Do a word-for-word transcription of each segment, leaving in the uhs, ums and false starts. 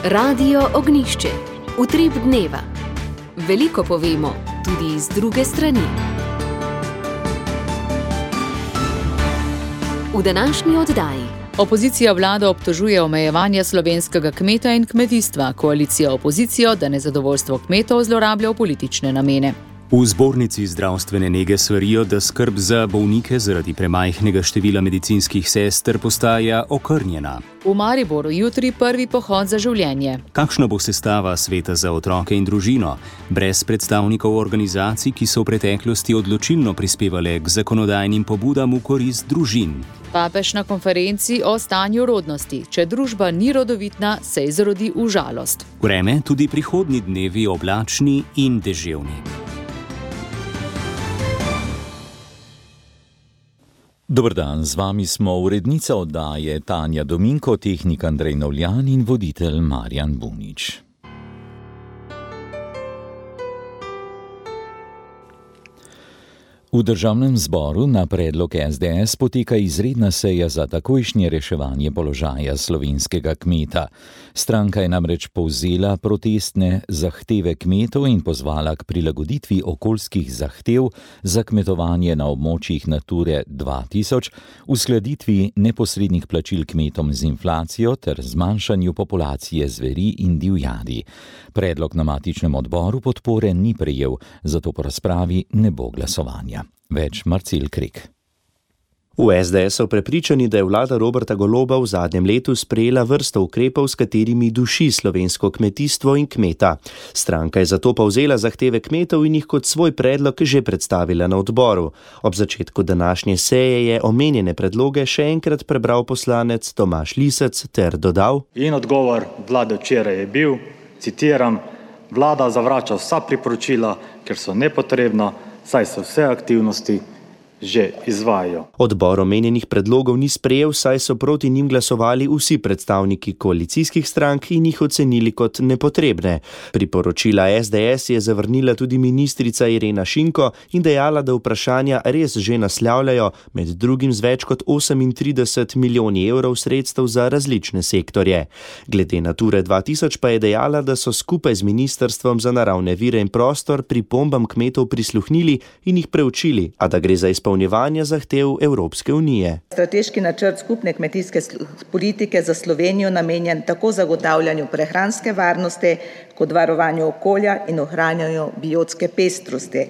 Radio Ognjišče. Utrip dneva. Veliko povemo, tudi iz druge strani. V današnji oddaji. Opozicija vlado obtožuje omejevanja slovenskega kmeta in kmetijstva, koalicija opozicijo, da nezadovoljstvo kmetov zlorablja v politične namene. V zbornici zdravstvene nege svarijo, da skrb za bolnike zaradi premajhnega števila medicinskih sester postaja okrnjena. V Mariboru jutri prvi pohod za življenje. Kakšna bo sestava sveta za otroke in družino? Brez predstavnikov organizacij, ki so v preteklosti odločilno prispevale k zakonodajnim pobudam v korist družin. Papež na konferenci o stanju rodnosti. Če družba ni rodovitna, se izrodi v žalost. Vreme tudi prihodnji dnevi oblačni in deževni. Dober dan, z vami smo urednica oddaje Tanja Dominko, tehnik Andrej Novljan in voditelj Marjan Bunič. V državnem zboru na predlog es de es poteka izredna seja za takojšnje reševanje položaja slovenskega kmeta. Stranka je namreč povzela protestne zahteve kmetov in pozvala k prilagoditvi okoljskih zahtev za kmetovanje na območjih Nature dva tisoč, uskladitvi neposrednih plačil kmetom z inflacijo ter zmanjšanju populacije zveri in divjadi. Predlog na matičnem odboru podpore ni prejel, zato po razpravi ne bo glasovanja. Več Marcel Krek. V es de es so prepričani, da je vlada Roberta Goloba v zadnjem letu sprejela vrsto ukrepov, s katerimi duši slovensko kmetijstvo in kmeta. Stranka je zato povzela zahteve kmetov in jih kot svoj predlog že predstavila na odboru. Ob začetku današnje seje je omenjene predloge še enkrat prebral poslanec Tomaž Lisec ter dodal: In odgovor vlade včeraj je bil, citiram, vlada zavrača vsa priporočila, ker so nepotrebna, saj se vse aktivnosti že izvajajo. Odbor omenjenih predlogov ni sprejel, saj so proti njim glasovali vsi predstavniki koalicijskih strank in jih ocenili kot nepotrebne. Priporočila es de es je zavrnila tudi ministrica Irena Šinko in dejala, da vprašanja res že naslavljajo, med drugim z več kot osemintrideset milijoni evrov sredstev za različne sektorje. Glede Nature dva tisoč pa je dejala, da so skupaj z Ministrstvom za naravne vire in prostor pripombam kmetov prisluhnili in jih preučili, a da gre za izpolnjevanje zahtev Evropske unije. Strateški načrt skupne kmetijske politike za Slovenijo namenjen tako zagotavljanju prehranske varnosti kot varovanju okolja in ohranjanju biotske pestrosti.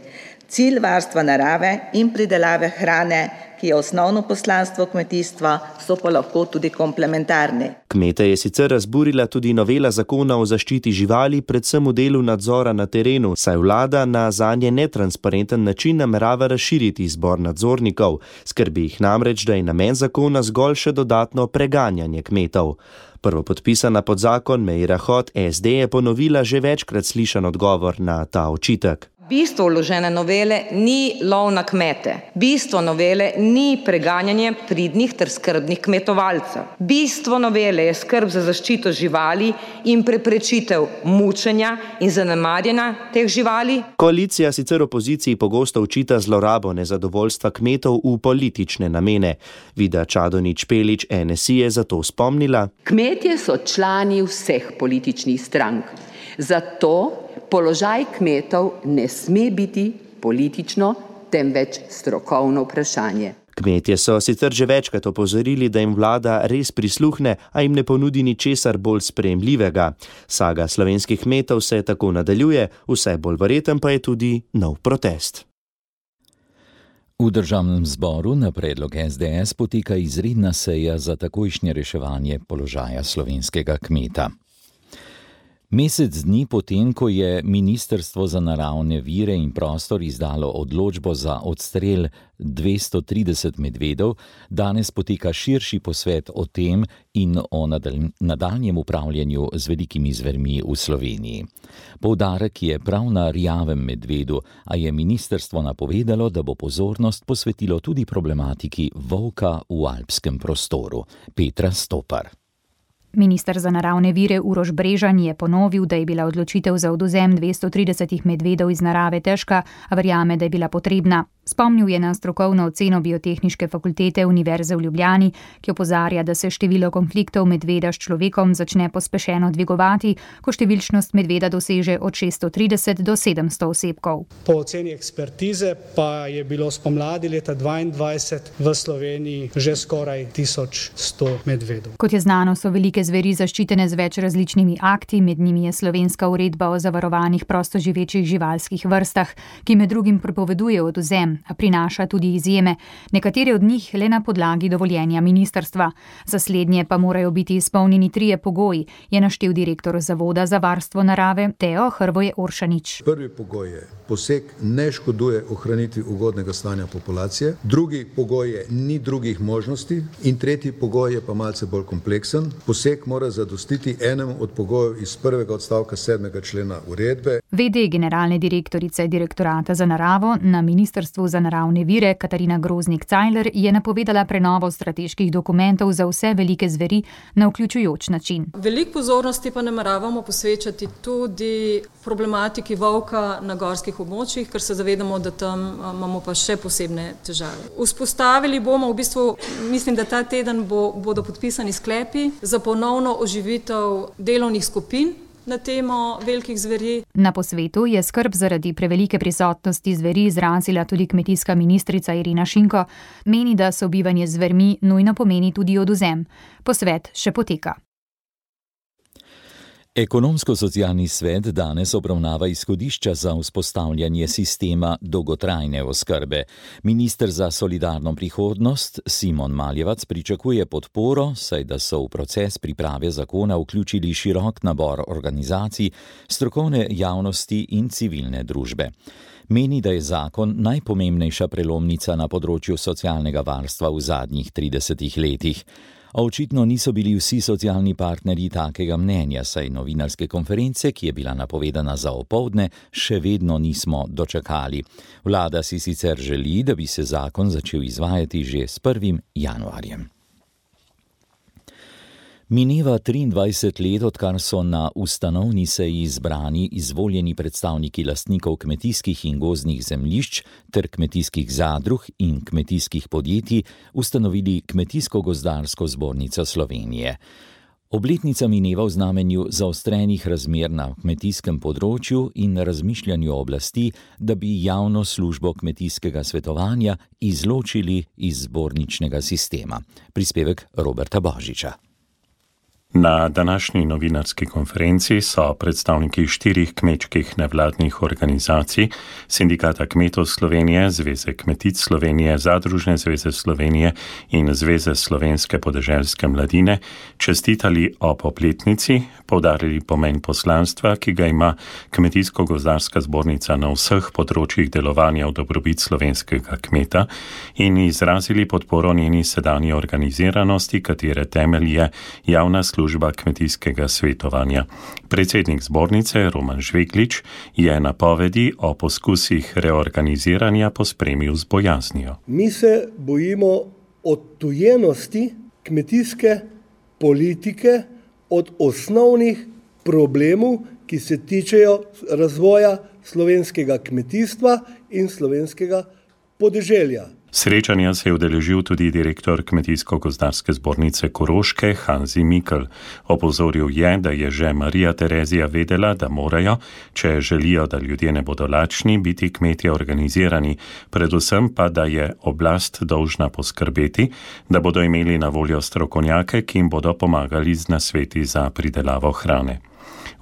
Cilj varstva narave in pridelave hrane, ki je osnovno poslanstvo kmetijstva, so pa lahko tudi komplementarni. Kmete je sicer razburila tudi novela zakona o zaščiti živali, predvsem v delu nadzora na terenu, saj vlada na zanje netransparenten način namerava razširiti izbor nadzornikov. Skrbi jih namreč, da je namen zakona zgolj še dodatno preganjanje kmetov. Prvopodpisana pod zakon Meira Hot es de je ponovila že večkrat slišan odgovor na ta očitek. Bistvo vložene novele ni lov na kmete. Bistvo novele ni preganjanje pridnih ter skrbnih kmetovalcev. Bistvo novele je skrb za zaščito živali in preprečitev mučenja in zanemarjanja teh živali. Koalicija sicer opoziciji pogosto očita zlorabo nezadovoljstva kmetov v politične namene. Vida Čadonič Špelič en es i je zato spomnila: Kmetje so člani vseh političnih strank. Zato položaj kmetov ne sme biti politično, temveč strokovno vprašanje. Kmetje so sicer že večkrat opozorili, da jim vlada res prisluhne, a jim ne ponudi ničesar bolj sprejemljivega. Saga slovenskih kmetov se tako nadaljuje, vse bolj verjeten pa je tudi nov protest. V državnem zboru na predlog es de es poteka izredna seja za takojšnje reševanje položaja slovenskega kmeta. Mesec dni potem, ko je Ministrstvo za naravne vire in prostor izdalo odločbo za odstrel dvesto trideset medvedov, danes poteka širši posvet o tem in o nadaljnjem upravljanju z velikimi zvermi v Sloveniji. Poudarek je prav na rjavem medvedu, a je ministrstvo napovedalo, da bo pozornost posvetilo tudi problematiki volka v alpskem prostoru. Petra Stopar. Minister za naravne vire Uroš Brežan je ponovil, da je bila odločitev za odvzem dvesto trideset medvedov iz narave težka, a verjame, da je bila potrebna. Spomnil je na strokovno oceno Biotehniške fakultete Univerze v Ljubljani, ki opozarja, da se število konfliktov medveda s človekom začne pospešeno dvigovati, ko številčnost medveda doseže od šeststo trideset do sedemsto osebkov. Po oceni ekspertize pa je bilo spomladi leta dvaindvajset v Sloveniji že skoraj tisoč sto medvedov. Kot je znano, so velike zveri zaščitene z več različnimi akti, med njimi je slovenska uredba o zavarovanih prostoživečih živalskih vrstah, ki med drugim prepoveduje odvzem, a prinaša tudi izjeme, nekatere od njih le na podlagi dovoljenja ministrstva. Za slednje pa morajo biti izpolnjeni trije pogoji, je naštel direktor Zavoda za varstvo narave Teo Hrvoje Oršanič. Prvi pogoj je, poseg ne škoduje ohranitvi ugodnega stanja populacije, drugi pogoj je, ni drugih možnosti in tretji pogoj je pa malce bolj kompleksen. Poseg mora zadostiti enemu od pogojev iz prvega odstavka sedmega člena uredbe. V D generalne direktorice Direktorata za naravo na Ministrstvu za naravne vire Katarina Groznik-Cajler je napovedala prenovo strateških dokumentov za vse velike zveri na vključujoč način. Veliko pozornosti pa nameravamo posvečati tudi problematiki volka na gorskih območjih, ker se zavedamo, da tam imamo pa še posebne težave. Vzpostavili bomo, v bistvu, mislim, da ta teden bo, bodo podpisani sklepi za ponovno oživitev delovnih skupin na temo velikih zveri. Na posvetu je skrb zaradi prevelike prisotnosti zveri izrazila tudi kmetijska ministrica Irena Šinko. Meni, da sobivanje z zvermi nujno pomeni tudi odvzem. Posvet še poteka. Ekonomsko-socialni svet danes obravnava izhodišča za vzpostavljanje sistema dolgotrajne oskrbe. Minister za solidarno prihodnost Simon Maljevac pričakuje podporo, saj da so v proces priprave zakona vključili širok nabor organizacij, strokovne javnosti in civilne družbe. Meni, da je zakon najpomembnejša prelomnica na področju socialnega varstva v zadnjih tridesetih letih. A očitno niso bili vsi socialni partnerji takega mnenja, saj novinarske konference, ki je bila napovedana za opoldne, še vedno nismo dočakali. Vlada si sicer želi, da bi se zakon začel izvajati že s prvim januarjem. Mineva triindvajset let, odkar so na ustanovni seji izbrani izvoljeni predstavniki lastnikov kmetijskih in gozdnih zemljišč ter kmetijskih zadrug in kmetijskih podjetij ustanovili Kmetijsko-gozdarsko zbornico Slovenije. Obletnica mineva v znamenju zaostrenih razmer na kmetijskem področju in razmišljanju oblasti, da bi javno službo kmetijskega svetovanja izločili iz zborničnega sistema. Prispevek Roberta Božiča. Na današnji novinarski konferenci so predstavniki štirih kmečkih nevladnih organizacij, Sindikata kmetov Slovenije, Zveze kmetic Slovenije, Zadružne zveze Slovenije in Zveze slovenske podeželske mladine čestitali ob obletnici, poudarili pomen poslanstva, ki ga ima Kmetijsko-gozdarska zbornica na vseh področjih delovanja v dobrobit slovenskega kmeta in izrazili podporo njeni sedanji organiziranosti, katere temelj je javna služba služba kmetijskega svetovanja. Predsednik zbornice Roman Žveglič je napovedi o poskusih reorganiziranja pospremil z bojaznijo. Mi se bojimo odtujenosti kmetijske politike od osnovnih problemov, ki se tičejo razvoja slovenskega kmetijstva in slovenskega podeželja. Srečanja se je udeležil tudi direktor Kmetijsko-gozdarske zbornice Koroške Hanzi Mikl. Opozoril je, da je že Marija Terezija vedela, da morajo, če želijo, da ljudje ne bodo lačni, biti kmetje organizirani, predvsem pa, da je oblast dolžna poskrbeti, da bodo imeli na voljo strokovnjake, ki jim bodo pomagali z nasveti za pridelavo hrane.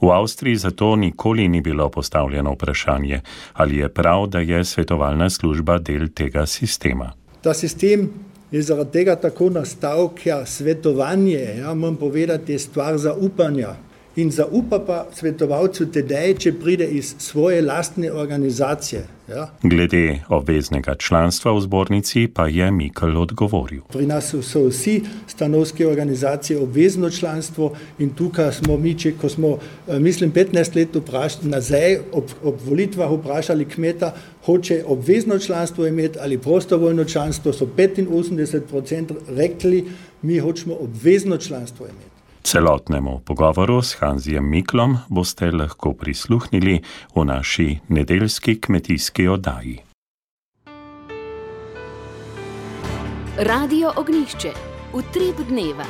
V Avstriji zato nikoli ni bilo postavljeno vprašanje, ali je prav, da je svetovalna služba del tega sistema. Ta sistem je zaradi tega tako nastal, ker svetovanje, ja, moram povedati, je stvar zaupanja. In zaupa pa svetovalcu tedaj, če pride iz svoje lastne organizacije. Ja. Glede obveznega članstva v zbornici pa je Mikl odgovoril. Pri nas so vsi stanovske organizacije obvezno članstvo in tukaj smo mi, če, ko smo, mislim, petnajst let vprašali, nazaj ob, ob volitvah vprašali kmeta, hoče obvezno članstvo imeti ali prostovoljno članstvo, so petinosemdeset procent rekli, mi hočemo obvezno članstvo imeti. Celotnemu pogovoru s Hanzijem Miklom boste lahko prisluhnili v naši nedeljski kmetijski oddaji. Radio Ognjišče, utrip dneva.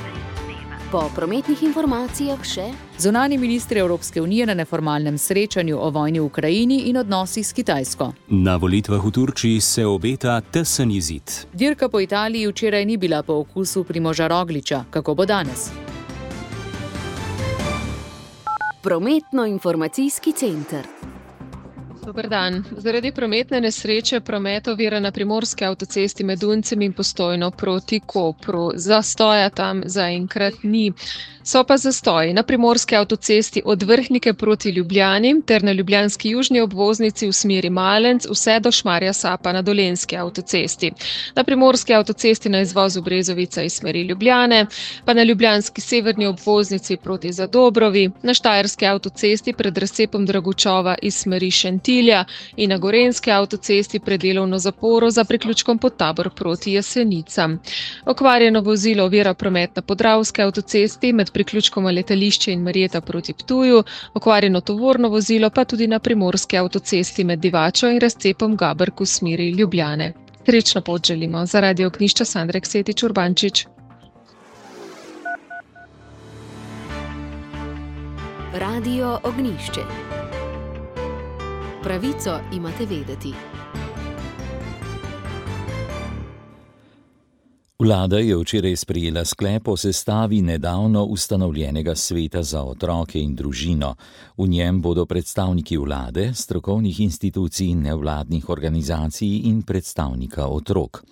Po prometnih informacijah še zunanji ministri Evropske unije na neformalnem srečanju o vojni v Ukrajini in odnosih s Kitajsko. Na volitvah v Turčiji se obeta tesen izid. Dirka po Italiji včeraj ni bila po okusu Primoža Rogliča. Kako bo danes? Prometno-informacijski center. Dober dan. Zaradi prometne nesreče promet ovira na primorski avtocesti med Duncem in Postojno proti Kopru. Zastoja tam zaenkrat ni. So pa zastoji na primorski avtocesti od Vrhnike proti Ljubljani ter na ljubljanski južni obvoznici v smeri Malenc vse do Šmarja Sapa na Dolenjski avtocesti. Na primorski avtocesti na izvozu Brezovica iz smeri Ljubljane, pa na ljubljanski severni obvoznici proti Zadobrovi, na štajerski avtocesti pred razcepom Dragučova iz smeri Šentilja in na gorenjski avtocesti pred delovno zaporo za priključkom Podtabor proti Jesenicam. Okvarjeno vozilo ovira promet na Podravski avtocesti med priključkoma Letališče in Marjeta proti Ptuju, okvarjeno tovorno vozilo pa tudi na primorski avtocesti med Divačo in razcepom Gaberk v smeri Ljubljane. Srečno pot želimo. Za Radio Ognjišče Sandra Ksetič Urbančič. Radio Ognjišče. Pravico imate vedeti. Vlada je včeraj sprejela sklep o sestavi nedavno ustanovljenega sveta za otroke in družino. V njem bodo predstavniki vlade, strokovnih institucij, nevladnih organizacij in predstavnika otrok.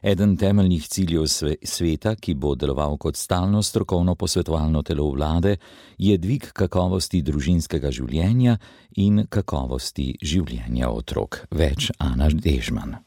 Eden temeljnih ciljev sveta, ki bo deloval kot stalno strokovno posvetovalno telo vlade, je dvig kakovosti družinskega življenja in kakovosti življenja otrok. Več Ana Dežman.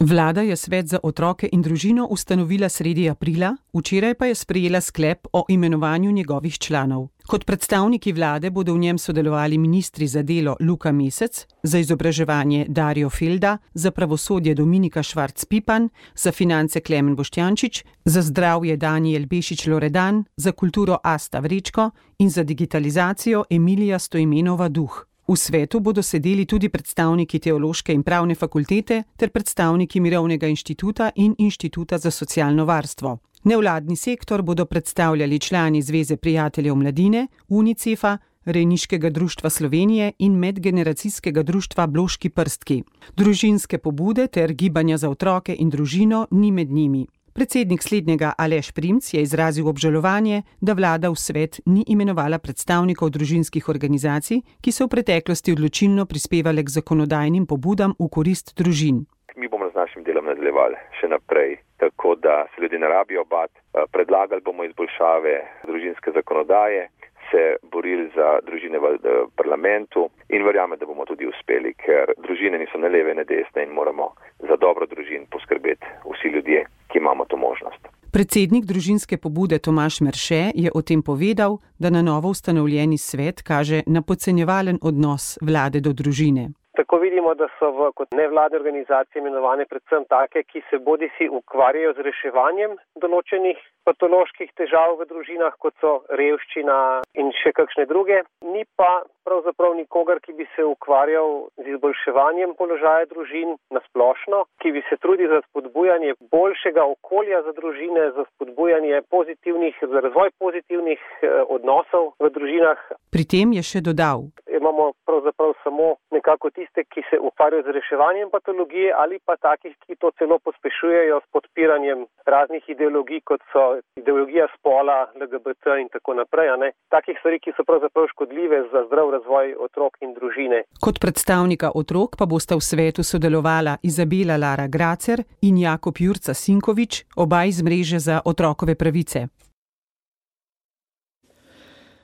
Vlada je svet za otroke in družino ustanovila sredi aprila, včeraj pa je sprejela sklep o imenovanju njegovih članov. Kot predstavniki vlade bodo v njem sodelovali ministri za delo Luka Mesec, za izobraževanje Dario Felda, za pravosodje Dominika Švarc Pipan, za finance Klemen Boštjančič, za zdravje Danijel Bešič Loredan, za kulturo Asta Vrečko in za digitalizacijo Emilija Stojmenova Duh. V svetu bodo sedeli tudi predstavniki Teološke in pravne fakultete ter predstavniki Mirovnega inštituta in Inštituta za socialno varstvo. Nevladni sektor bodo predstavljali člani Zveze prijateljev mladine, Unicefa, Rejniškega društva Slovenije in medgeneracijskega društva Bloški prstki. Družinske pobude ter gibanja za otroke in družino ni med njimi. Predsednik slednjega Aleš Primc je izrazil obžalovanje, da vlada v svet ni imenovala predstavnikov družinskih organizacij, ki so v preteklosti odločilno prispevale k zakonodajnim pobudam v korist družin. Mi bomo z našim delom nadaljevali še naprej, tako da se ljudje ne rabijo bati. Predlagali bomo izboljšave družinske zakonodaje, se borili za družine v parlamentu in verjamem, da bomo tudi uspeli, ker družine niso ne leve, ne desne in moramo za dobro družin poskrbeti vsi ljudje, ki imamo to možnost. Predsednik družinske pobude Tomaž Merše je o tem povedal, da na novo ustanovljeni svet kaže na podcenjevalen odnos vlade do družine. Tako vidimo, da so v, kot nevladne organizacije imenovane predvsem take, ki se bodisi ukvarjajo z reševanjem določenih patoloških težav v družinah, kot so revščina in še kakšne druge. Ni pa pravzaprav nikogar, ki bi se ukvarjal z izboljševanjem položaja družin na splošno, ki bi se trudil za spodbujanje boljšega okolja za družine, za spodbujanje pozitivnih, za razvoj pozitivnih eh, odnosov v družinah. Pri tem je še dodal. Imamo pravzaprav samo nekako tiste, ki se ukvarjajo z reševanjem patologije ali pa takih, ki to celo pospešujejo s podpiranjem raznih ideologij, kot so ideologija spola, L G B T in tako naprej. Ne? Takih stvari, ki so pravzaprav škodljive za zdrav razvoj otrok in družine. Kot predstavnika otrok pa bosta v svetu sodelovala Izabela Lara Gracer in Jakob Jurca Sinkovič, oba iz mreže za otrokove pravice.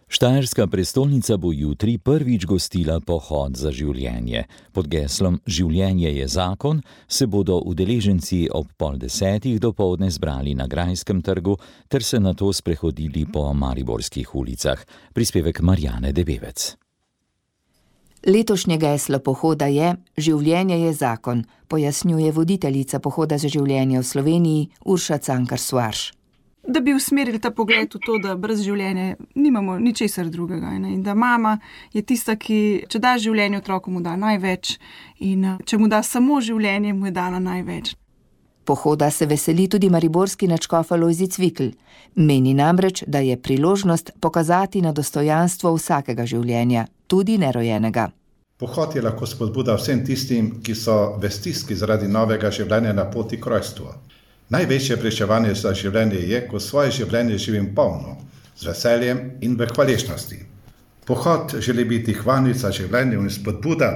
Štajerska prestolnica bo jutri prvič gostila pohod za življenje. Pod geslom Življenje je zakon se bodo udeleženci ob pol desetih dopoldne zbrali na Grajskem trgu ter se nato sprehodili po mariborskih ulicah. Prispevek Marjane Debevec. Letošnje geslo pohoda je Življenje je zakon, pojasnjuje voditeljica pohoda za življenje v Sloveniji Urša Cankar-Suarš. Da bi usmerili ta pogled v to, da brez življenja nimamo ničesar drugega. Ne? In da mama je tista, ki če da življenje otroku, mu da največ in če mu da samo življenje, mu je dala največ. Pohoda se veseli tudi mariborski nadškof Alojzij Cvikl. Meni namreč, da je priložnost pokazati na dostojanstvo vsakega življenja, tudi nerojenega. Pohod je lahko spodbuda vsem tistim, ki so v stiski zaradi novega življenja na poti k rojstvu. Največje pričevanje za življenje je, ko svoje življenje živim polno, z veseljem in v hvaležnosti. Pohod želi biti hvalnica življenja in spodbuda,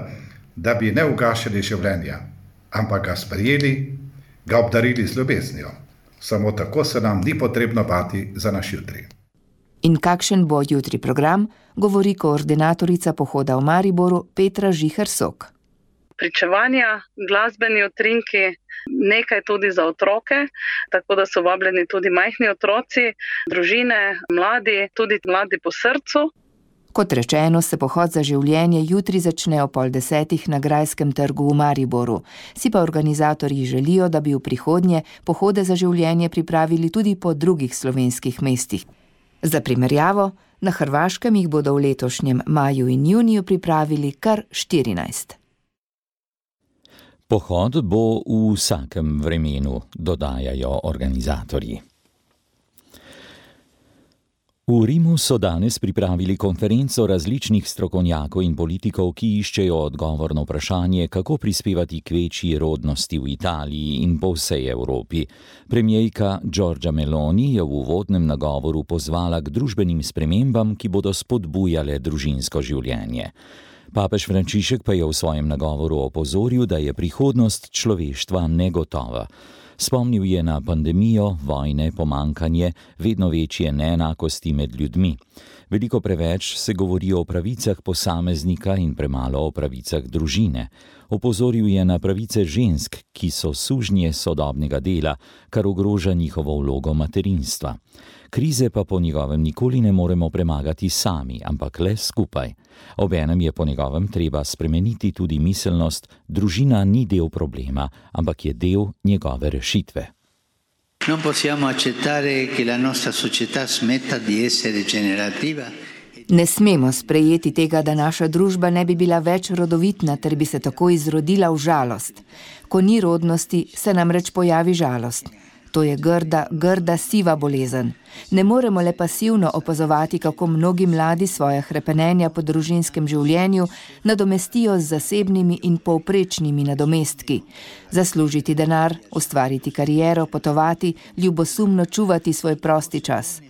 da bi ne ugašali življenja, ampak ga sprejeli, ga obdarili z ljubeznijo. Samo tako se nam ni potrebno bati za naš jutri. In kakšen bo jutri program, govori koordinatorica pohoda v Mariboru Petra Žiher-Sok. Pričevanja, glasbeni utrinki, nekaj tudi za otroke, tako da so vabljeni tudi majhni otroci, družine, mladi, tudi mladi po srcu. Kot rečeno, se pohod za življenje jutri začne o pol desetih na Grajskem trgu v Mariboru. Si pa organizatorji želijo, da bi v prihodnje pohode za življenje pripravili tudi po drugih slovenskih mestih. Za primerjavo, na Hrvaškem jih bodo v letošnjem maju in juniju pripravili kar štirinajst. Pohod bo v vsakem vremenu, dodajajo organizatorji. V Rimu so danes pripravili konferenco različnih strokovnjakov in politikov, ki iščejo odgovor na vprašanje, kako prispevati k večji rodnosti v Italiji in po vsej Evropi. Premierka Giorgia Meloni je v uvodnem nagovoru pozvala k družbenim spremembam, ki bodo spodbujale družinsko življenje. Papež Frančišek pa je v svojem nagovoru opozoril, da je prihodnost človeštva negotova. Spomnil je na pandemijo, vojne, pomankanje, vedno večje neenakosti med ljudmi. Veliko preveč se govori o pravicah posameznika in premalo o pravicah družine. Opozoril je na pravice žensk, ki so sužnje sodobnega dela, kar ogroža njihovo vlogo materinstva. Krize pa po njegovem nikoli ne moremo premagati sami, ampak le skupaj. Obenem je po njegovem treba spremeniti tudi miselnost, družina ni del problema, ampak je del njegove rešitve. Non possiamo accettare che la nostra società smetta di essere generativa. Ne smemo sprejeti tega, da naša družba ne bi bila več rodovitna, ter bi se tako izrodila v žalost. Ko ni rodnosti, se namreč pojavi žalost. To je grda, grda siva bolezen. Ne moremo le pasivno opazovati, kako mnogi mladi svoje hrepenenja po družinskem življenju nadomestijo z zasebnimi in povprečnimi nadomestki. Zaslužiti denar, ustvariti kariero, potovati, ljubosumno čuvati svoj prosti čas.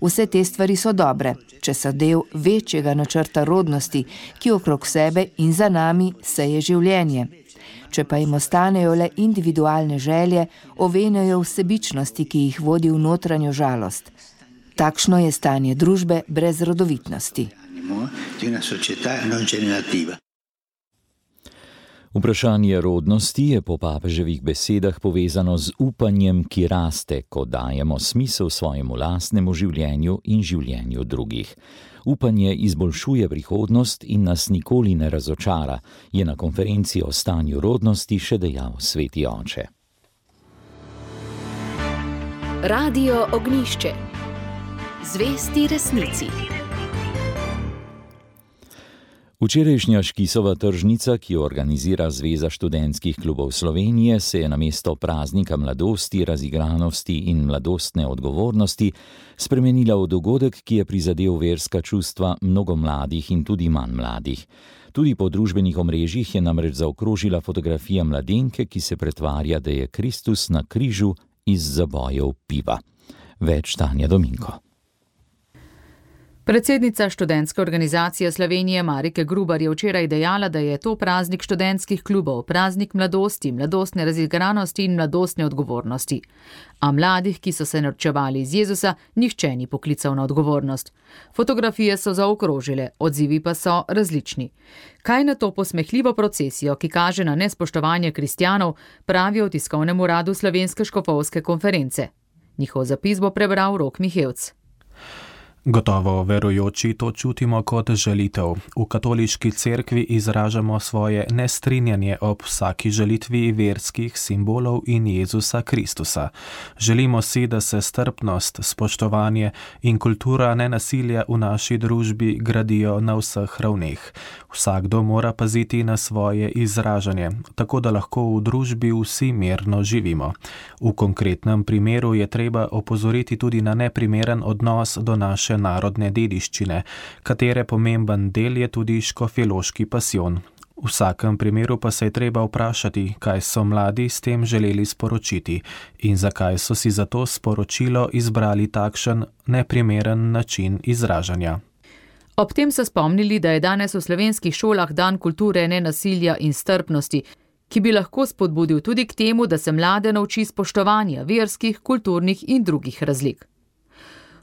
Vse te stvari so dobre, če so del večjega načrta rodnosti, ki okrog sebe in za nami seje življenje. Če pa jim ostanejo le individualne želje, ovenejo vsebičnosti, ki jih vodi v notranjo žalost. Takšno je stanje družbe brez rodovitnosti. Vprašanje rodnosti je po papeževih besedah povezano z upanjem, ki raste, ko dajemo smisel svojemu lastnemu življenju in življenju drugih. Upanje izboljšuje prihodnost in nas nikoli ne razočara, je na konferenci o stanju rodnosti še dejal sveti oče. Radio Ognjišče. Zvesti resnici. Včerajšnja Škisova tržnica, ki jo organizira Zveza študentskih klubov Slovenije, se je namesto praznika mladosti, razigranosti in mladostne odgovornosti spremenila v dogodek, ki je prizadel verska čustva mnogo mladih in tudi manj mladih. Tudi po družbenih omrežjih je namreč zaokrožila fotografija mladenke, ki se pretvarja, da je Kristus na križu iz zabojev piva. Več Tanja Dominko. Predsednica študentske organizacije Slovenije Marike Grubar je včeraj dejala, da je to praznik študentskih klubov, praznik mladosti, mladostne razigranosti in mladostne odgovornosti. A mladih, ki so se norčevali iz Jezusa, nihče ni poklical na odgovornost. Fotografije so zaokrožile, odzivi pa so različni. Kaj na to posmehljivo procesijo, ki kaže na nespoštovanje kristjanov, pravijo v tiskovnem uradu Slovenske škofovske konference? Njihov zapis bo prebral Rok Mihevc. Gotovo verujoči to čutimo kot žalitev. V katoliški cerkvi izražamo svoje nestrinjanje ob vsaki žalitvi verskih simbolov in Jezusa Kristusa. Želimo si, da se strpnost, spoštovanje in kultura nenasilja v naši družbi gradijo na vseh ravneh. Vsakdo mora paziti na svoje izražanje, tako da lahko v družbi vsi mirno živimo. V konkretnem primeru je treba opozoriti tudi na neprimeren odnos do naše narodne dediščine, katere pomemben del je tudi škofjeloški pasijon. V vsakem primeru pa se je treba vprašati, kaj so mladi s tem želeli sporočiti in zakaj so si za to sporočilo izbrali takšen neprimeren način izražanja. Ob tem so spomnili, da je danes v slovenskih šolah dan kulture nenasilja in strpnosti, ki bi lahko spodbudil tudi k temu, da se mlade nauči spoštovanja verskih, kulturnih in drugih razlik.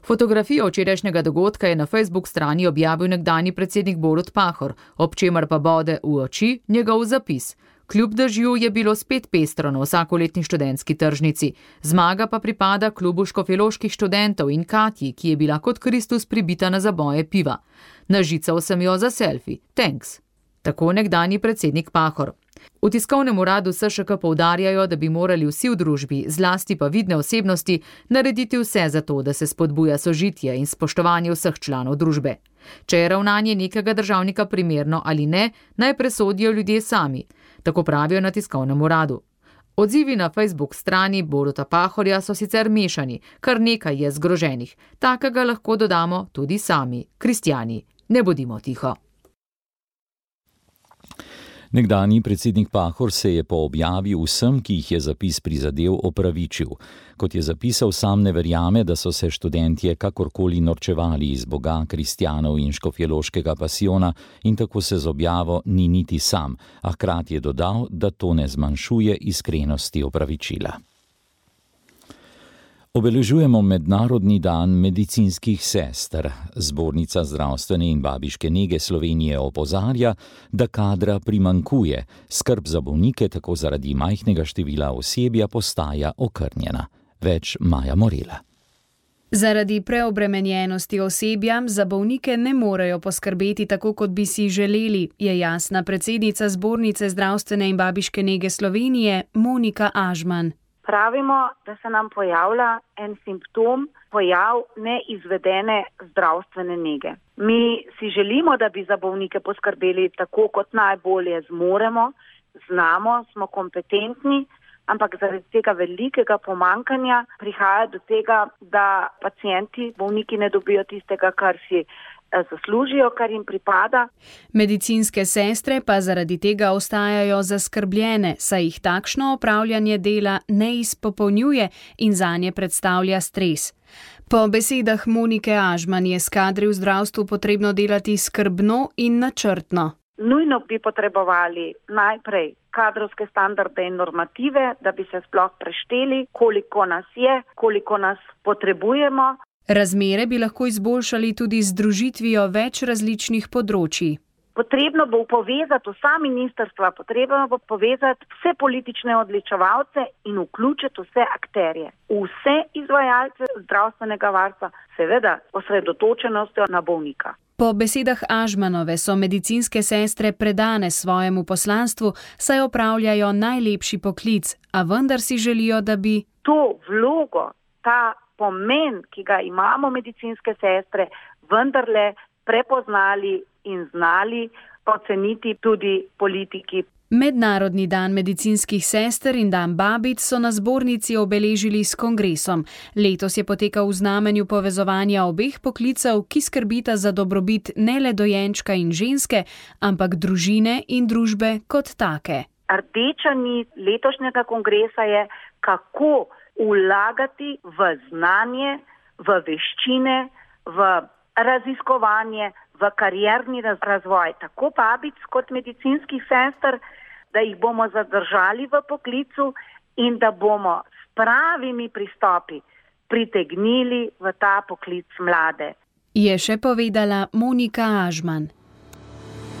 Fotografijo včerajšnjega dogodka je na Facebook strani objavil nekdanji predsednik Borut Pahor, ob čemer pa bode v oči njegov zapis. Kljub dežju je bilo spet pestro na vsakoletni študentski tržnici. Zmaga pa pripada klubu škofjeloških študentov in Katji, ki je bila kot Kristus pribita na zaboje piva. Nažical sem jo za selfie. Thanks. Tako nekdanji predsednik Pahor. V tiskovnem uradu S Š K poudarjajo, da bi morali vsi v družbi, zlasti pa vidne osebnosti, narediti vse za to, da se spodbuja sožitje in spoštovanje vseh članov družbe. Če je ravnanje nekega državnika primerno ali ne, naj presodijo ljudje sami, tako pravijo na tiskovnem uradu. Odzivi na Facebook strani Boruta Pahorja so sicer mešani, kar nekaj je zgroženih. Takega lahko dodamo tudi sami, kristjani. Ne bodimo tiho. Nekdanji predsednik Pahor se je po objavi vsem, ki jih je zapis prizadel, opravičil. Kot je zapisal, sam ne verjame, da so se študentje kakorkoli norčevali iz Boga, kristjanov in škofjeloškega pasijona in tako se z objavo ni niti sam, a hkrati je dodal, da to ne zmanjšuje iskrenosti opravičila. Obeležujemo Mednarodni dan medicinskih sester. Zbornica zdravstvene in babiške nege Slovenije opozarja, da kadra primanjkuje. Skrb za bolnike tako zaradi majhnega števila osebja postaja okrnjena. Več Maja Morela. Zaradi preobremenjenosti osebja za bolnike ne morejo poskrbeti tako, kot bi si želeli, je jasna predsednica Zbornice zdravstvene in babiške nege Slovenije Monika Ažman. Pravimo, da se nam pojavlja en simptom, pojav neizvedene zdravstvene nege. Mi si želimo, da bi za bolnike poskrbeli tako, kot najbolje zmoremo, znamo, smo kompetentni, ampak zaradi tega velikega pomankanja prihaja do tega, da pacienti, bolniki ne dobijo tistega, kar si zaslužijo, kar jim pripada. Medicinske sestre pa zaradi tega ostajajo zaskrbljene, saj jih takšno opravljanje dela ne izpopolnjuje in zanje predstavlja stres. Po besedah Monike Ažman je s kadri v zdravstvu potrebno delati skrbno in načrtno. Nujno bi potrebovali najprej kadrovske standarde in normative, da bi se sploh prešteli, koliko nas je, koliko nas potrebujemo. Razmere bi lahko izboljšali tudi z združitvijo več različnih področij. Potrebno bo povezati vsa ministrstva, potrebno bo povezati vse politične odločevalce in vključiti vse akterje, vse izvajalce zdravstvenega varstva, seveda osredotočenostjo na bolnika. Po besedah Ažmanove so medicinske sestre predane svojemu poslanstvu, saj opravljajo najlepši poklic, a vendar si želijo, da bi to vlogo, ta pomen, ki ga imamo medicinske sestre, vendarle prepoznali in znali oceniti tudi politiki. Mednarodni dan medicinskih sester in dan babic so na zbornici obeležili s kongresom. Letos je potekal v znamenju povezovanja obeh poklicev, ki skrbita za dobrobit ne le dojenčka in ženske, ampak družine in družbe kot take. Rdeča nit letošnjega kongresa je, kako vlagati v znanje, v veščine, v raziskovanje, v karierni razvoj, tako babic kot medicinskih sester, da jih bomo zadržali v poklicu in da bomo s pravimi pristopi pritegnili v ta poklic mlade. Je še povedala Monika Ažman.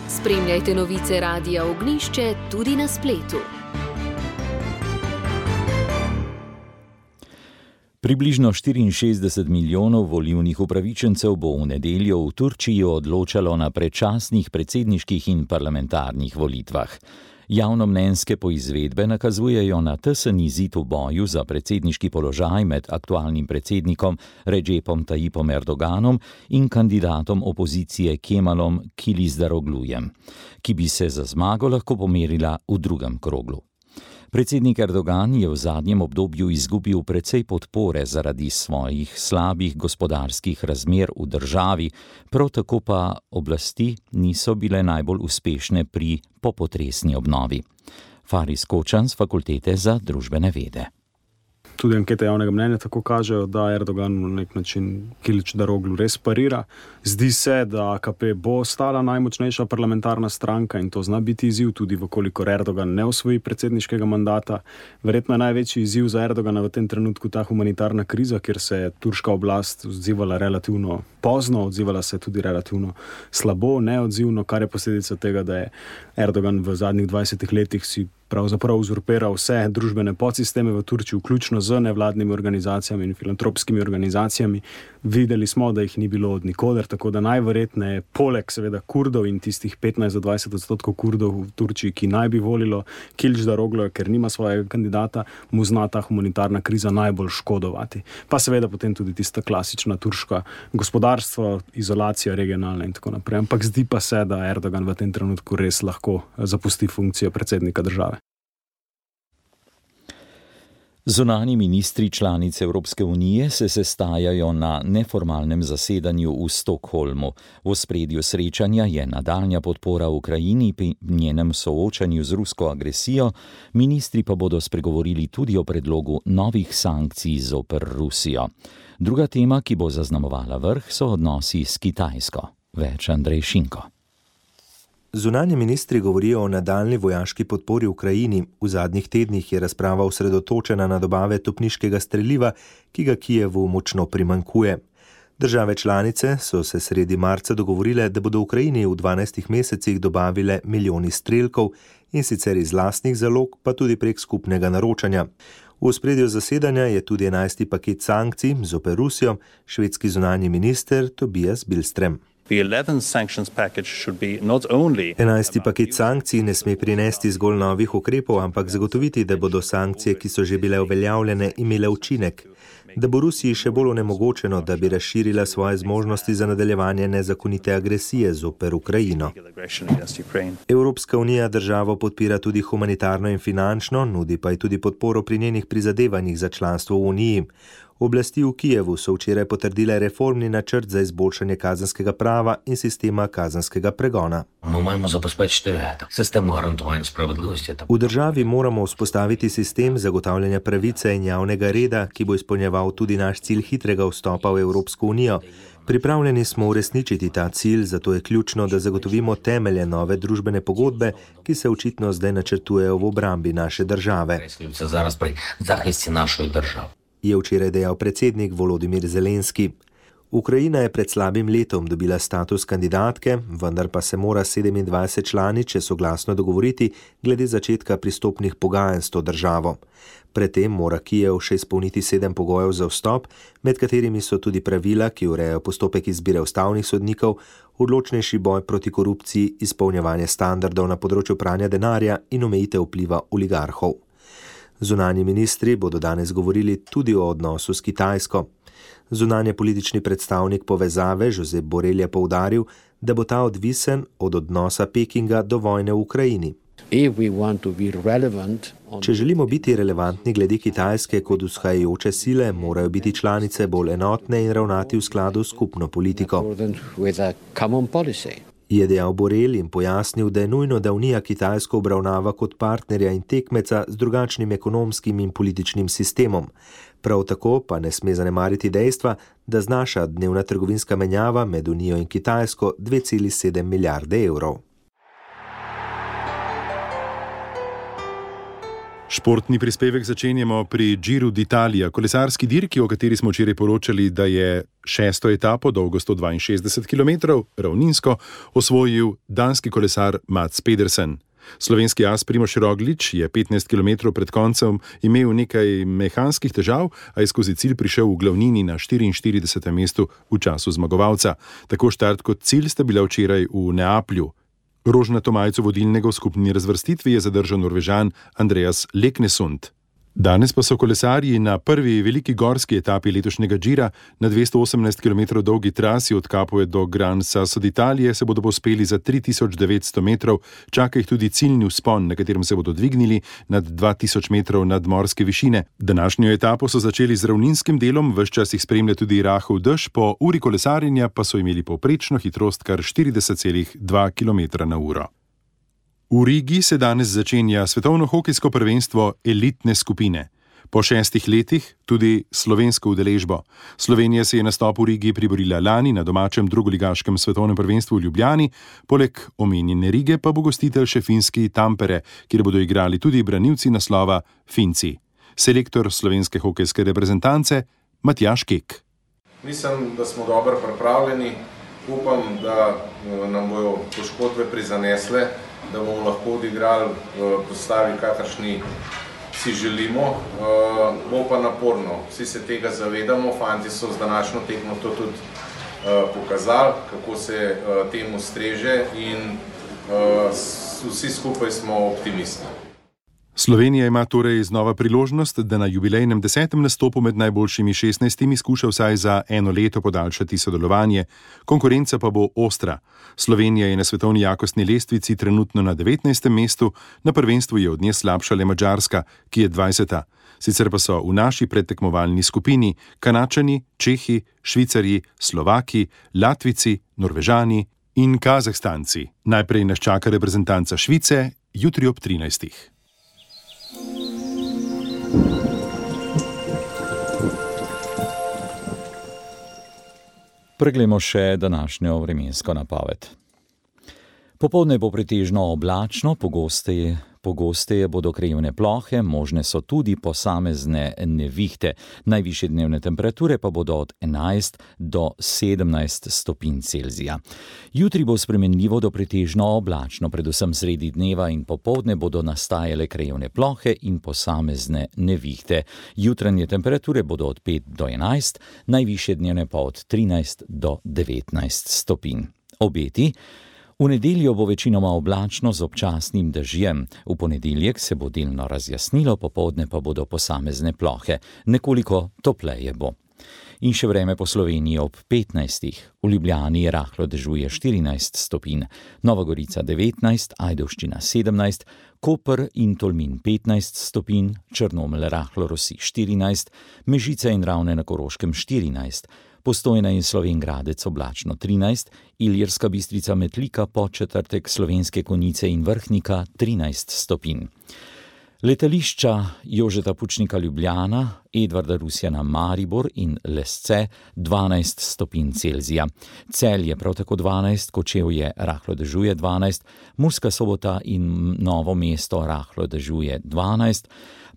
Spremljajte novice Radia Ognjišče tudi na spletu. Približno štiriinšestdeset milijonov volivnih upravičencev bo v nedeljo v Turčiji odločalo na predčasnih predsedniških in parlamentarnih volitvah. Javnomnenjske poizvedbe nakazujejo na tesen izid v boju za predsedniški položaj med aktualnim predsednikom Recepom Tayyipom Erdoganom in kandidatom opozicije Kemalom Kılıçdaroğlujem, ki bi se za zmago lahko pomerila v drugem kroglu. Predsednik Erdogan je v zadnjem obdobju izgubil precej podpore zaradi svojih slabih gospodarskih razmer v državi, prav tako pa oblasti niso bile najbolj uspešne pri popotresni obnovi. Faris Kočan z Fakultete za družbene vede. Tudi ankete javnega mnenja tako kažejo, da Erdogan na nek način Kılıçdaroğlu res parira. Zdi se, da A K P bo ostala najmočnejša parlamentarna stranka in to zna biti izziv, tudi vkolikor Erdogan ne osvoji predsedniškega mandata. Verjetno je največji izziv za Erdogana v tem trenutku ta humanitarna kriza, kjer se je turška oblast odzivala relativno pozno, odzivala se tudi relativno slabo, neodzivno, kar je posledica tega, da je Erdogan v zadnjih dvajsetih letih si pravzaprav uzurpiral vse družbene podsisteme v Turčiji, vključno z nevladnimi organizacijami in filantropskimi organizacijami. Videli smo, da jih ni bilo od nikoder, tako da najverjetneje poleg seveda Kurdov in tistih petnajst do dvajset odstotkov Kurdov v Turčiji, ki naj bi volilo Kılıçdaroğluja, ker nima svojega kandidata, mu zna ta humanitarna kriza najbolj škodovati. Pa seveda potem tudi tista klasična turška gospodarstvo, izolacija regionalna in tako naprej. Ampak zdi pa se, da Erdogan v tem trenutku res lahko zapusti funkcijo predsednika države. Zunanji ministri članic Evropske unije se sestajajo na neformalnem zasedanju v Stockholmu. V ospredju srečanja je nadaljnja podpora Ukrajini pri njenem soočanju z rusko agresijo, ministri pa bodo spregovorili tudi o predlogu novih sankcij zoper Rusijo. Druga tema, ki bo zaznamovala vrh, so odnosi s Kitajsko. Več Andrej Šinko. Zunanji ministri govorijo o nadaljni vojaški podpori Ukrajini. V zadnjih tednih je razprava osredotočena na dobave topniškega streliva, ki ga Kijevu močno primanjkuje. Države članice so se sredi marca dogovorile, da bodo Ukrajini v dvanajstih mesecih dobavile milijoni strelkov, in sicer iz lastnih zalog, pa tudi prek skupnega naročanja. V ospredju zasedanja je tudi enajsti paket sankcij zoper Rusijo, švedski zunanji minister Tobias Billström. Enajsti paket sankcij ne sme prinesti zgolj novih ukrepov, ampak zagotoviti, da bodo sankcije, ki so že bile uveljavljene, imele učinek. Da bo Rusiji še bolj onemogočeno, da bi razširila svoje zmožnosti za nadaljevanje nezakonite agresije zoper Ukrajino. Evropska unija državo podpira tudi humanitarno in finančno, nudi pa ji tudi podporo pri njenih prizadevanjih za članstvo v uniji. Oblasti v Kijevu so včeraj potrdile reformni načrt za izboljšanje kazenskega prava in sistema kazenskega pregona. V državi moramo vzpostaviti sistem zagotavljanja pravice in javnega reda, ki bo izpolnjeval tudi naš cilj hitrega vstopa v Evropsko unijo. Pripravljeni smo uresničiti ta cilj, zato je ključno, da zagotovimo temelje nove družbene pogodbe, ki se očitno zdaj načrtujejo v obrambi naše države. Je včeraj dejal predsednik Volodimir Zelenski. Ukrajina je pred slabim letom dobila status kandidatke, vendar pa se mora sedemindvajset članic soglasno dogovoriti glede začetka pristopnih pogajanj s to državo. Predtem mora Kijev še izpolniti sedem pogojev za vstop, med katerimi so tudi pravila, ki urejajo postopek izbire ustavnih sodnikov, odločnejši boj proti korupciji, izpolnjevanje standardov na področju pranja denarja in omejitev vpliva oligarhov. Zunanji ministri bodo danes govorili tudi o odnosu s Kitajsko. Zunanje politični predstavnik povezave Josep Borrell je poudaril, da bo ta odvisen od odnosa Pekinga do vojne v Ukrajini. Če želimo biti relevantni glede Kitajske kot vzhajajoče sile, morajo biti članice bolj enotne in ravnati v skladu s skupno politiko. Je dejal Borrell in pojasnil, da je nujno, da Unija Kitajsko obravnava kot partnerja in tekmeca z drugačnim ekonomskim in političnim sistemom. Prav tako pa ne sme zanemariti dejstva, da znaša dnevna trgovinska menjava med Unijo in Kitajsko dve celi sedem milijarde evrov. Športni prispevek začenjamo pri Giro d'Italia, kolesarski dirki, o kateri smo včeraj poročali, da je šesto etapo, dolgo sto dvainšestdeset kilometrov, ravninsko, osvojil danski kolesar Mads Pedersen. Slovenski as Primož Roglič je petnajst kilometrov pred koncem imel nekaj mehanskih težav, a je skozi cilj prišel v glavnini na štiriinštiridesetem mestu v času zmagovalca. Tako štart kot cilj sta bila včeraj v Neaplju. Rožnato majico vodilnega v skupni razvrstitvi je zadržal Norvežan Andreas Leknesund. Danes pa so kolesarji na prvi veliki gorski etapi letošnjega Gira na dvesto osemnajst kilometrov dolgi trasi od Capue do Gran Sasso d'Italie se bodo povzpeli za tri tisoč devetsto metrov, čaka jih tudi ciljni vzpon, na katerem se bodo dvignili nad dva tisoč metrov nadmorske višine. Današnjo etapo so začeli z ravninskim delom, ves čas jih spremlja tudi rahel dež, po uri kolesarjenja pa so imeli povprečno hitrost kar štirideset celih dva kilometra na uro. V Rigi se danes začenja svetovno hokejsko prvenstvo elitne skupine. Po šestih letih tudi slovensko udeležbo. Slovenija se je nastop v Rigi priborila lani na domačem drugoligaškem svetovnem prvenstvu v Ljubljani, poleg omenjene Rige pa bo gostitelj še finski Tampere, kjer bodo igrali tudi branilci naslova Finci. Selektor slovenske hokejske reprezentance Matjaž Kek. Mislim, da smo dobro pripravljeni. Upam, da nam bojo poškodbe prizanesle, da bomo lahko odigrali v postavi, kakršni si želimo. Bo pa naporno, vsi se tega zavedamo, fanti so z današnjo tekmo to tudi pokazali, kako se temu streže in vsi skupaj smo optimisti. Slovenija ima torej znova priložnost, da na jubilejnem desetem nastopu med najboljšimi šestnajstimi skuša vsaj za eno leto podaljšati sodelovanje. Konkurenca pa bo ostra. Slovenija je na svetovni jakostni lestvici trenutno na devetnajstem mestu, na prvenstvu je od nje slabša le Madžarska, ki je dvajseta. Sicer pa so v naši predtekmovalni skupini Kanačani, Čehi, Švicarji, Slovaki, Latvici, Norvežani in Kazahstanci. Najprej nas čaka reprezentanca Švice, jutri ob trinajstih. Preglejmo še današnjo vremensko napoved. Popoldne bo pretežno oblačno, pogosteje, pogosteje bodo krajevne plohe, možne so tudi posamezne nevihte. Najvišje dnevne temperature pa bodo od enajst do sedemnajst stopinj Celzija. Jutri bo spremenljivo do pretežno oblačno, predvsem sredi dneva in popoldne bodo nastajale krajevne plohe in posamezne nevihte. Jutranje temperature bodo od pet do enajst, najvišje dnevne pa od trinajst do devetnajst stopinj. Obeti. V nedeljo bo večinoma oblačno z občasnim dežjem. V ponedeljek se bo delno razjasnilo, popoldne pa bodo posamezne plohe. Nekoliko topleje bo. In še vreme po Sloveniji ob petnajstih. V Ljubljani rahlo dežuje štirinajst stopinj, Nova Gorica devetnajst, Ajdovščina sedemnajst, Koper in Tolmin petnajst stopinj, Črnomelj rahlo rosi štirinajst, Mežica in Ravne na Koroškem štirinajst, Postojna in Slovenj Gradec oblačno trinajst, Ilirska Bistrica Metlika, Podčetrtek, Slovenske Konjice in Vrhnika trinajst stopinj. Letališča Jožeta Pučnika Ljubljana, Edvarda Rusjana Maribor in Lesce dvanajst stopinj Celzija. Celje prav tako dvanajst, Kočevje rahlo dežuje dvanajst, Murska Sobota in Novo mesto rahlo dežuje dvanajst,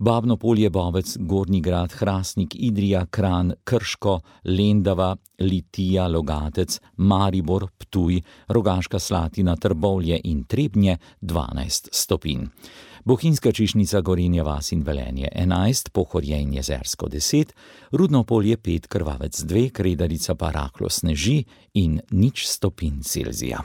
Babno Polje, Bovec, Gornji Grad, Hrastnik, Idrija, Kranj, Krško, Lendava, Litija, Logatec, Maribor, Ptuj, Rogaška Slatina, Trbovlje in Trebnje dvanajst stopinj. Bohinjska Čišnica, Gorenja vas in Velenje enajst, Pohorje in Jezersko deset, Rudno Polje pet, Krvavec dve, Kredarica pa rahlo sneži in nič stopinj Celzija.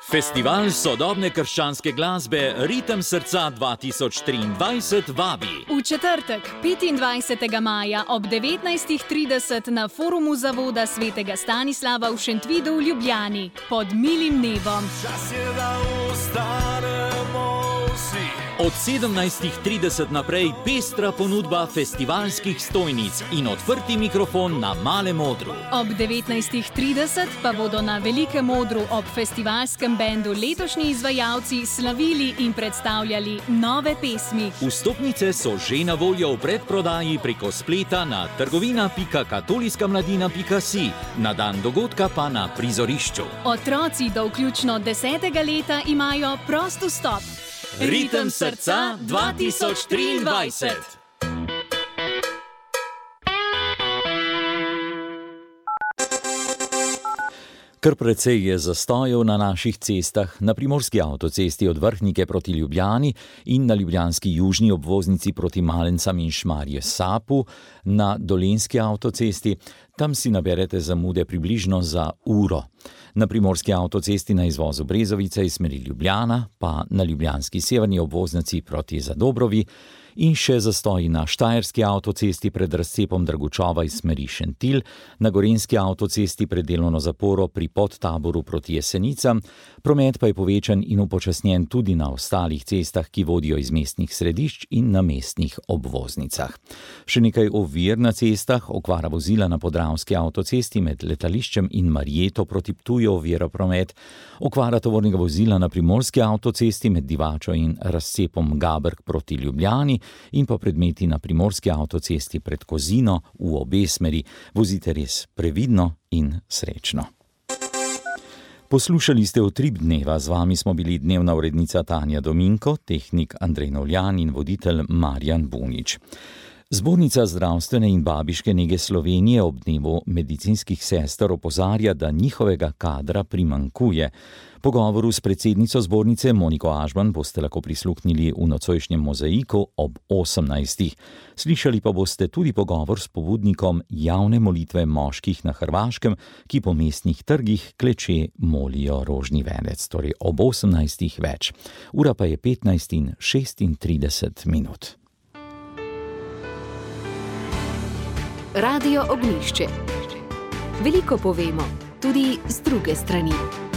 Festival sodobne krščanske glasbe Ritem srca dva tisoč triindvajset vabi. V četrtek, petindvajsetega maja ob devetnajst trideset na forumu Zavoda svetega Stanislava v Šentvidu v Ljubljani pod milim nebom. Čas je, da ostanemo vsi. Od sedemnajst trideset naprej pestra ponudba festivalskih stojnic in odprti mikrofon na Malem odru. Ob devetnajst trideset pa bodo na Velikem odru ob festivalskem bendu letošnji izvajalci slavili in predstavljali nove pesmi. Vstopnice so že na voljo v predprodaji preko spleta na trgovina pika katoliška mladina pika si, na dan dogodka pa na prizorišču. Otroci do vključno desetega leta imajo prost vstop. Ritem srca dva tisoč triindvajset. Kar precej je zastojev na naših cestah, na primorski avtocesti od Vrhnike proti Ljubljani in na ljubljanski južni obvoznici proti Malencam in Šmarje Sapu, na dolenjski avtocesti, tam si naberete zamude približno za uro. Na primorski avtocesti na izvozu Brezovice iz smeri Ljubljana, pa na ljubljanski severni obvoznici proti Zadobrovi, in še zastoji na štajerski avtocesti pred razcepom Dragučova iz smeri Šentilj, na gorenjski avtocesti pred delovno zaporo pri Podtaboru proti Jesenicam, promet pa je povečan in upočasnjen tudi na ostalih cestah, ki vodijo iz mestnih središč in na mestnih obvoznicah. Še nekaj ovir na cestah, okvara vozila na podravski avtocesti med letališčem in Marjeto proti Ptuju ovira promet, okvara tovornega vozila na primorski avtocesti med Divačo in razcepom Gabrk proti Ljubljani, in pa predmeti na primorski avtocesti pred Kozino v obe smeri. Vozite res previdno in srečno. Poslušali ste Utrip dneva, z vami smo bili dnevna urednica Tanja Dominko, tehnik Andrej Novljan in voditelj Marjan Bunič. Zbornica zdravstvene in babiške nege Slovenije ob dnevu medicinskih sester opozarja, da njihovega kadra primanjkuje. Pogovoru s predsednico zbornice Moniko Ažban boste lahko prisluhnili v nocojšnjem Mozaiku ob osemnajstih. Slišali pa boste tudi pogovor s pobudnikom javne molitve moških na Hrvaškem, ki po mestnih trgih kleče molijo rožni venec, torej ob osemnajstih več. Ura pa je petnajst in šestintrideset minut. Radio Ognjišče. Veliko povemo, tudi z druge strani.